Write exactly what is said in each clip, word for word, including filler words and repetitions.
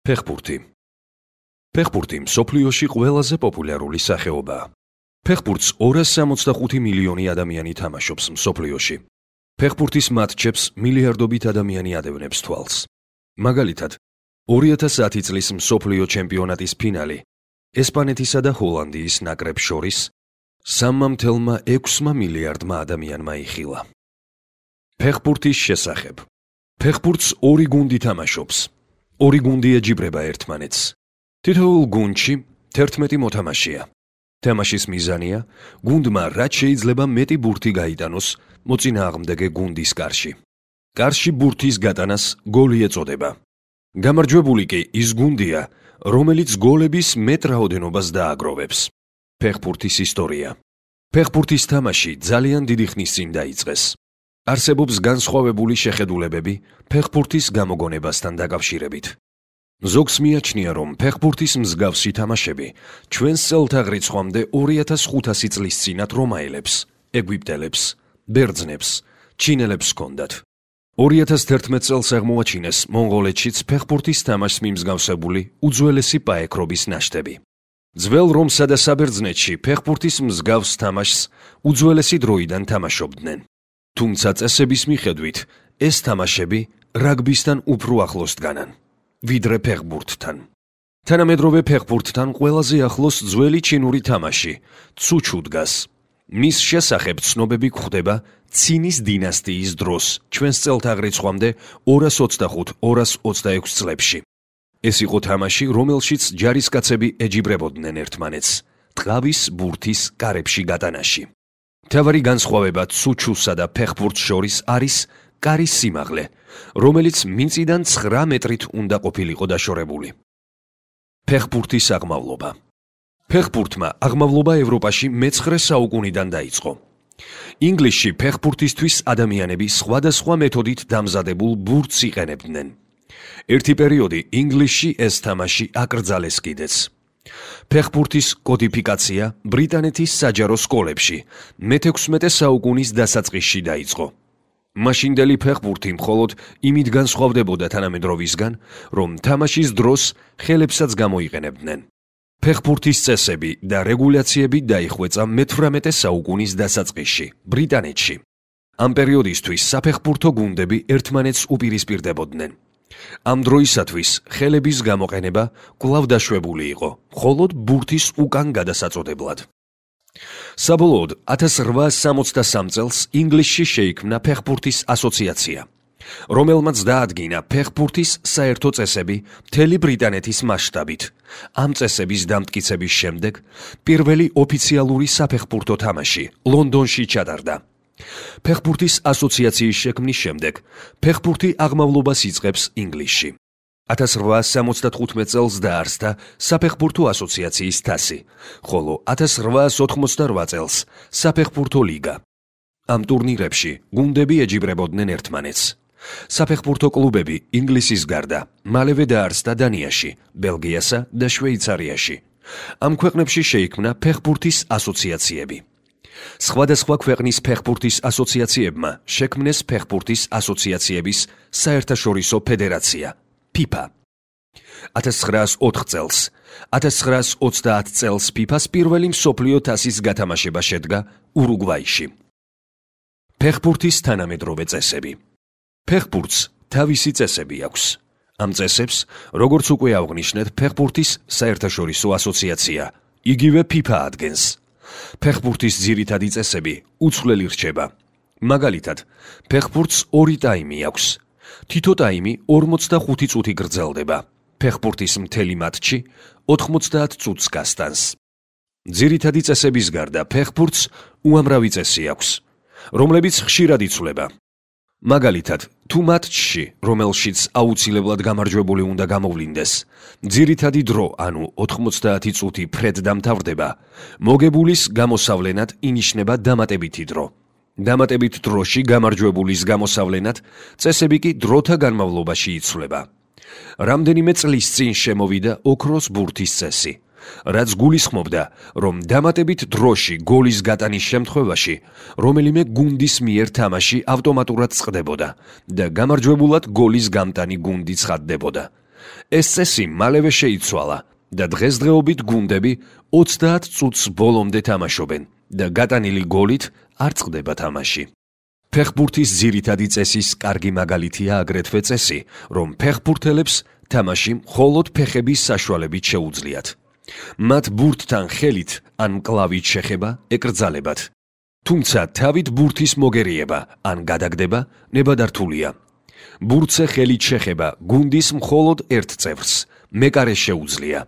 ფეხბურთი. ფეხბურთი მსოფლიოში ყველაზე პოპულარული სახეობაა. ფეხბურთს ორას სამოცდახუთი მილიონი ადამიანი თამაშობს მსოფლიოში. ფეხბურთის მატჩებს მილიარდობით ადამიანი ადევნებს თვალს. მაგალითად, ორი ათას ათი წლის მსოფლიო ჩემპიონატის ფინალი ესპანეთისა და ჰოლანდიის ნაკრებს შორის სამმამთელმა ექვსმა მილიარდმა ადამიანმა იხილა. ფეხბურთის შესახებ. ფეხბურთს ორი გუნდი თამაშობს. ორი გუნდი ეჯიბრება ერთმანეთს. თითოეულ გუნდში თერთმეტი მოთამაშეა. თამაშის მიზანია გუნდმა რაც შეიძლება მეტი ბურთი გაიტანოს მოწინააღმდეგე გუნდის კარში. კარში ბურთის გატანას გოლი ეწოდება. გამარჯვებული კი ის გუნდია, რომელიც გოლების მეტ რაოდენობას დააგროვებს. ფეხბურთის ისტორია. ფეხბურთის თამაში ძალიან დიდი ხნის წინ დაიწყეს. არსებობს განსხვავებული შეხედულებები ფეხბურთის გამოგონებასთან დაკავშირებით. ზოგს მიაჩნია, რომ ფეხბურთის მსგავსი თამაშები ჩვენს წელთაღრიცხვამდე ორი ათას ხუთასი წლის წინათ რომაელებს, ეგვიპტელებს, ბერძნებს, ჩინელებს ჰქონდათ. ორი ათას თერთმეტ წელს აღმოაჩინეს მონღოლეთშიც ფეხბურთის თამაშს მიმსგავსებული უძველესი პაექრობის ნაშთები. ძველ რომსა და საბერძნეთში ფეხბურთის მსგავს თამაშს უძველესი დროიდან თამაშობდნენ. თუმცა წესების მიხედვით ეს თამაშები რაგბისთან უფრო ახლოს დგანან, ვიდრე ფეხბურთთან. თანამედროვე ფეხბურთთან ყველაზე ახლოს ძველი ჩინური თამაში ცუჩუ დგას. მის შესახებ ცნობები გვხვდება ცინის დინასტიის დროს, ჩვენს წელთაღრიცხვამდე ორას ოცდახუთ ორას ოცდაექვსი წლებში. ეს იყო თამაში, რომელშიც ჯარისკაცები ეჯიბრებოდნენ ერთმანეთს ტყავის ბურთის კარებში გატანაში. მთავარი განსხვავება ცუჩუსა და ფეხბურთს შორის არის კარის სიმაღლე, რომელიც მიწიდან ცხრა მეტრით უნდა ყოფილიყო დაშორებული. ფეხბურთის აღმავლობა. ფეხბურთმა აღმავლობა ევროპაში მეცხრე საუკუნიდან დაიწყო. ინგლისში ფეხბურთისთვის ადამიანები სხვადასხვა მეთოდით დამზადებულ ბურთს იყენებდნენ. ერთი პერიოდი ინგლისში ეს თამაში აკრძალეს კიდეც. ფეხბურთის კოდიფიკაცია ბრიტანეთის საჯარო სკოლებში მეთექვსმეტე საუკუნის დასაწყისში დაიწყო. მაშინდელი ფეხბურთი მხოლოდ იმით განსხვავდებოდა თანამედროვისგან, რომ თამაშის დროს ხელებსაც გამოიყენებდნენ. ფეხბურთის წესები და რეგულაციები დაიხვეწა მეთვრამეტე საუკუნის დასაწყისში ბრიტანეთში. ამ პერიოდისთვის საფეხბურთო გუნდები ერთმანეთს უპირისპირდებოდნენ. ამ დროისათვის ხელების გამოყენება კვლავ დაშვებული იყო, მხოლოდ ბურთის უკან გადასაწოდებლად. საბოლოოდ ათას რვაას სამოცდასამ წელს ინგლისში შეიქმნა ფეხბურთის ასოციაცია, რომელმაც დაადგინა ფეხბურთის საერთო წესები მთელი ბრიტანეთის მასშტაბით. ამ წესების დამტკიცების შემდეგ პირველი ოფიციალური საფეხბურთო თამაში ლონდონში ჩატარდა. ფეხბურთის ასოციაციის შექმნის შემდეგ ფეხბურთი აღმავლობას იწყებს ინგლისში. ათას რვაას სამოცდათხუთმეტ წელს დაარსდა საფეხბურთო ასოციაციის თასი, ხოლო ათას რვაას ოთხმოცდარვა წელს საფეხბურთო ლიგა. ამ ტურნირებში გუნდები ეჯიბრებოდნენ ერთმანეთს. საფეხბურთო კლუბები ინგლისის გარდა მალევე დაარსდა დანიაში, ბელგიასა და შვეიცარიაში. ამ ქვეყნებში შეიქმნა ფეხბურთის ასოციაციები. სხვადასხვა ქვეყნის ფეხბურთის ასოციაციებმა შექმნეს ფეხბურთის ასოციაციების საერთაშორისო ფედერაცია ფიფა. ათას ცხრაას ოთხ წელს, ათას ცხრაას ოცდაათ წელს ფიფას პირველი მსოფლიო თასის გათამაშება შედგა ურუგვაიში. ფეხბურთის თანამედროვე წესები. ფეხბურთს თავისი წესები აქვს. ამ წესებს, როგორც უკვე აღვნიშნეთ, ფეხბურთის საერთაშორისო ასოციაცია, იგივე ფიფა ადგენს. ფეხბურთის ძირითადი წესები უცვლელი რჩება. მაგალითად, ფეხბურთს ორი ტაიმი აქვს. თითო ტაიმი ორმოცდახუთი წუთი გრძელდება. ფეხბურთის მთელი მატჩი ოთხმოცდაათ წუთს გასტანს. ძირითადი წესების გარდა ფეხბურთს უამრავი წესი აქვს, რომლებიც ხშირად იცვლება. მაგალითად, თუ მატჩში, რომელშიც აუცილებლად გამარჯვებული უნდა გამოვლინდეს, ძირითადი დრო, ანუ ოთხმოცდაათი წუთი ფრედ დამთავრდება, მოგებულის გამოსავლენად ინიშნება დამატებითი დრო. დამატებით დროში გამარჯვებულის გამოსავლენად წესები კი დროთა განმავლობაში იცვლება. რამდენიმე წლის წინ შემოვიდა ოქროს ბურთის წესი, რაც გულისხმობდა, რომ დამატებით დროში გოლის გატანის შემთხვევაში რომელიმე გუნდის მიერ თამაში ავტომატურად წყდებოდა და გამარჯვებულად გოლის გამტანი გუნდი ცხადდებოდა. ეს წესი მალევე შეიცვალა და დღესდღეობით გუნდები ოცდაათ წუთს ბოლომდე თამაშობენ და გატანილი გოლით არ წყდება თამაში. ფეხბურთის ძირითადი წესის კარგი მაგალითია აგრეთვე წესი, რომ ფეხბურთელებს თამაში მხოლოდ ფეხების საშუალებით შეუძლიათ. მათ ბურთთან ხელით ან მკლავით შეხება ეკრძალებათ. თუმცა თავით ბურთის მოგერიება ან გადაგდება ნებადართულია. ბურთზე ხელით შეხება გუნდის მხოლოდ ერთ წევრს, მეკარეს შეუძლია.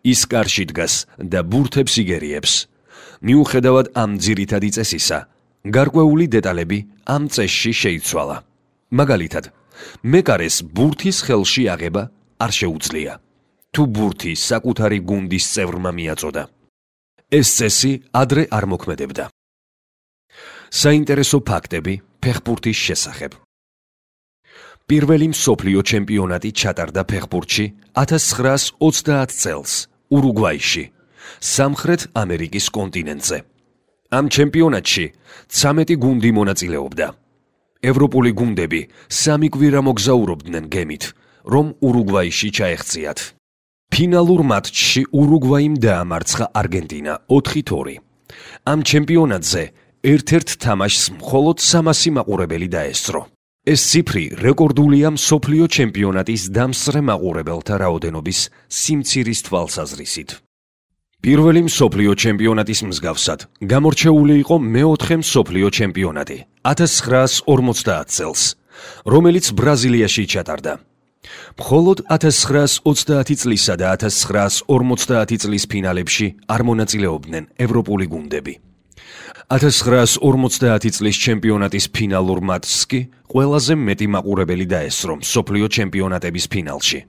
ის კარში დგას და ბურთებს იგერიებს. მიუხედავად ამ ძირითადი წესისა, გარკვეული დეტალები ამ წესში შეიცვალა. მაგალითად, მეკარეს ბურთის ხელში აღება არ შეუძლია, თუ ბურთი საკუთარი გუნდის წევრმა მიაწოდა. ეს წესი ადრე არ მოქმედებდა. საინტერესო ფაქტები ფეხბურთის შესახებ. პირველი მსოფლიო ჩემპიონატი ჩატარდა ფეხბურთში ათას ცხრაას ოცდაათ წელს ურუგვაიში, სამხრეთ ამერიკის კონტინენტზე. ამ ჩემპიონატში ცამეტი გუნდი მონაწილეობდა. ევროპული გუნდები სამი კვირა მოგზაურობდნენ გემით, რომ ურუგვაიში ჩაეღწიათ. ფინალურ მატჩში ურუგვაიმ დაამარცხა არგენტინა ოთხი ორი. ამ ჩემპიონატზე ერთ-ერთ თამაშს მხოლოდ სამასი მაყურებელი დაესწრო. ეს ციფრი რეკორდულია მსოფლიო ჩემპიონატის დამსწრე მაყურებელთა რაოდენობის სიმცირის თვალსაზრისით. პირველი მსოფლიო ჩემპიონატის მსგავსად გამორჩეული იყო მეოთხე მსოფლიო ჩემპიონატი ათას ცხრაას ორმოცდაათ წელს, რომელიც ბრაზილიაში ჩატარდა. მხოლოდ ათას ცხრაას ოცდაათი წლისა და ათას ცხრაას ორმოცდაათი წლის ფინალებში არ მონაწილეობდნენ ევროპული გუნდები. ათას ცხრაას ორმოცდაათი წლის ჩემპიონატის ფინალურ მატჩს კი ყველაზე მეტი მაყურებელი დაესწრო მსოფლიო ჩემპიონატების ფინალში.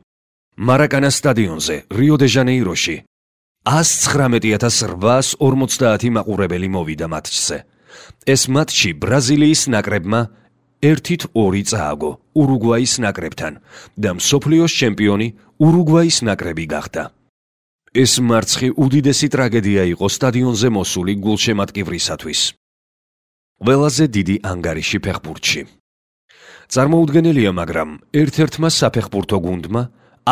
მარაკანას სტადიონზე, რიო-დე-ჟანეიროში ას ცხრამეტი ათას რვაას ორმოცდაათი მაყურებელი მოვიდა მატჩზე. ეს მატჩი ბრაზილიის ნაკრებმა ერთით ორი წააგო ურუგვაის ნაკრებთან და მსოფლიოს ჩემპიონი ურუგვაის ნაკრები გახდა. ეს მარცხი უდიდესი ტრაგედია იყო სტადიონზე მოსული გულშემატკივრისათვის. ყველაზე დიდი ანგარიში ფეხბურთში. წარმოუდგენელია, მაგრამ ერთ-ერთმა საფეხბურთო გუნდმა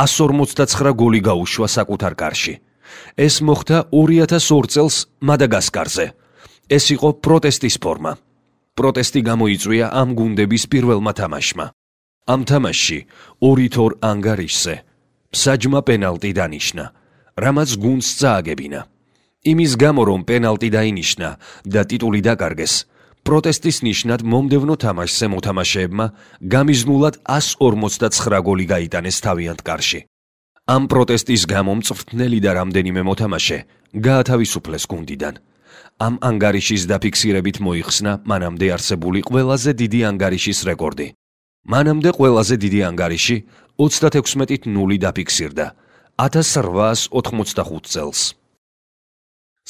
ას ორმოცდაცხრა გოლი გაუშვა საკუთარ კარში. ეს მოხდა ორი ათას ორ წელს მადაგასკარზე. ეს იყო პროტესტის ფორმა. პროტესტი გამოიწვია ამ გუნდების პირველმა თამაშმა. ამ თამაშში ორი ორ ანგარიშზე მსაჯმა პენალტი დანიშნა, რამაც გუნდს წააგებინა. იმის გამო, რომ პენალტი დაინიშნა და ტიტული დაკარგეს, პროტესტის ნიშნად მომდევნო თამაშზე მოთამაშეებმა გამიზნულად ას ორმოცდაცხრა გოლი გაიტანეს თავიანთ კარში. ამ პროტესტის გამო მწვრთნელი და რამდენიმე მოთამაშე გაათავისუფლეს გუნდიდან. ამ ანგარიშის დაფიქსირებით მოიხსნა მანამდე არსებული ყველაზე დიდი ანგარიშის რეკორდი. მანამდე ყველაზე დიდი ანგარიში ოცდათექვსმეტით ნული დაფიქსირდა ათას რვაას ოთხმოცდახუთ წელს.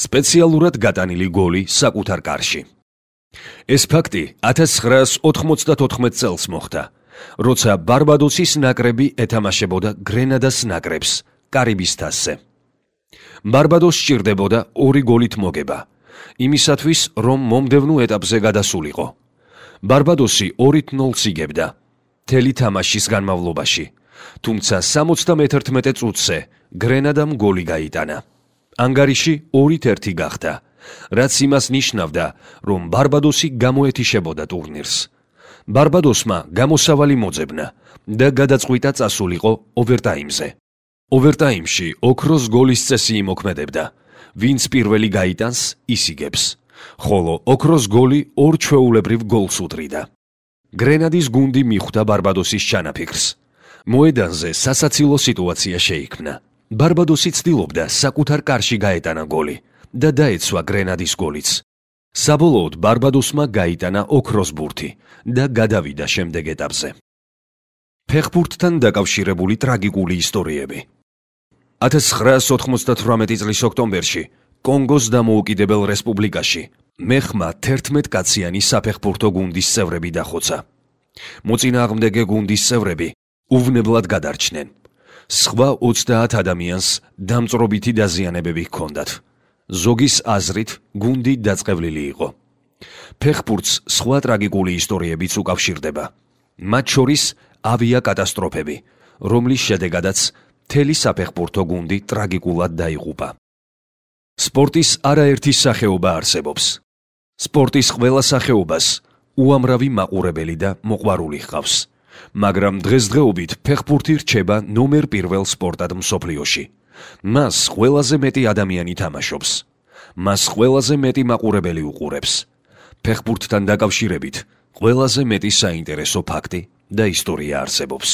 სპეციალურად გატანილი გოლი საკუთარ კარში. ეს ფაქტი ათას ცხრაას ოთხმოცდათოთხმეტ წელს მოხდა, როცა ბარბადოსის ნაკრები ეთამაშებოდა გრენადას ნაკრებს კარიბის თასზე. ბარბადოს სჭირდებოდა ორი გოლით მოგება, იმისათვის, რომ მომდევნო ეტაპზე გადასულიყო. ბარბადოსი ორით ნულს იგებდა მთელი თამაშის განმავლობაში, თუმცა სამოცდამეთერთმეტე წუთზე გრენადამ გოლი გაიტანა. ანგარიში ორით ერთი გახდა, რაც იმას ნიშნავდა, რომ ბარბადოსი გამოეთიშებოდა ტურნირს. ბარბადოსმა გამოსავალი მოძებნა და გადაწყვიტა წასულიყო ოვერტაიმზე. ოვერტაიმში ოქროს გოლის წესი იმოქმედებდა, ვინც პირველი გაიტანს, ის იგებს, ხოლო ოქროს გოლი ორ ჩვეულებრივ გოლს უდრიდა. გრენადის გუნდი მიხვდა ბარბადოსის ჩანაფიქრს. მოედანზე სასაცილო სიტუაცია შეიქმნა. ბარბადოსი ცდილობდა საკუთარ კარში გაეტანა გოლი და დაეცვა გრენადის გოლიც. საბოლოოდ ბარბადოსმა გაიტანა ოქროს ბურთი და გადავიდა შემდეგ ეტაპზე. ფეხბურთთან დაკავშირებული ტრაგიკული ისტორიები. ათას ცხრაას ოთხმოცდათვრამეტი წლის ოქტომბერში კონგოს დამოუკიდებელ რესპუბლიკაში მეხმა თერთმეტკაციანი საფეხბურთო გუნდის წევრები დახოცა. მოწინააღმდეგე გუნდის წევრები უვნებლად გადარჩნენ. სხვა ოცდაათ ადამიანს დამწვრობითი დაზიანებები ჰქონდათ. ზოგის აზრით გუნდი დაწყევლილი იყო. ფეხბურთს სხვა ტრაგიკული ისტორიებიც უკავშირდება. მათ შორის ავიაკატასტროფები, რომლის შედეგადაც მთელი საფეხბურთო გუნდი ტრაგიკულად დაიღუპა. სპორტის არაერთი სახეობა არსებობს. სპორტის ყველა სახეობას უამრავი მაყურებელი და მოყვარული ჰყავს, მაგრამ დღესდღეობით ფეხბურთი რჩება ნომერ პირველ სპორტად მსოფლიოში. მას ყველაზე მეტი ადამიანი თამაშობს. მას ყველაზე მეტი მაყურებელი უყურებს. ფეხბურთთან დაკავშირებით ყველაზე მეტი საინტერესო ფაქტი და ისტორია არსებობს.